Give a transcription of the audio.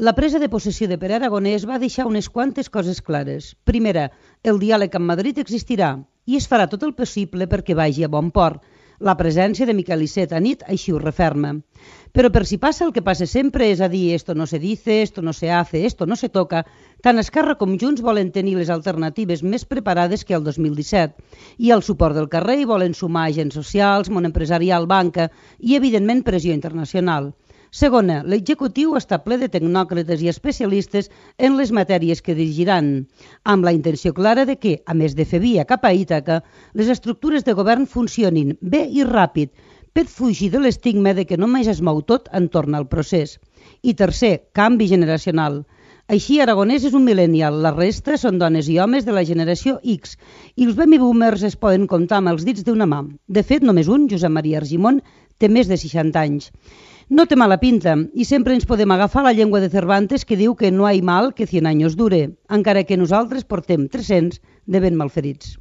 La presa de possessió de Pere Aragonès va deixar unes quantes coses clares. Primera, el diàleg amb Madrid existirà i es farà tot el possible perquè vagi a bon port. La presència de Miquel Iceta a nit així ho referma. Però per si passa el que passa sempre, és a dir, esto no se dice, esto no se hace, esto no se toca, tant Esquerra com Junts volen tenir les alternatives més preparades que el 2017 i el suport del carrer i volen sumar agents socials, món empresarial, banca i, evidentment, pressió internacional. Segona, l'executiu està ple de tecnòcrates i especialistes en les matèries que dirigiran, amb la intenció clara de que, a més de fer via cap a Ítaca, les estructures de govern funcionin bé i ràpid, per fugir de l'estigma de que només es mou tot entorn al procés. I tercer, canvi generacional. Així, Aragonès és un millennial, la resta són dones i homes de la generació X, i els baby boomers es poden comptar amb els dits d'una mà. De fet, només un, Josep Maria Argimon, té més de 60 anys. No té mala pinta i sempre ens podem agafar la llengua de Cervantes que diu que no hi ha mal que 100 anys dure, encara que nosaltres portem 300 de ben malferits.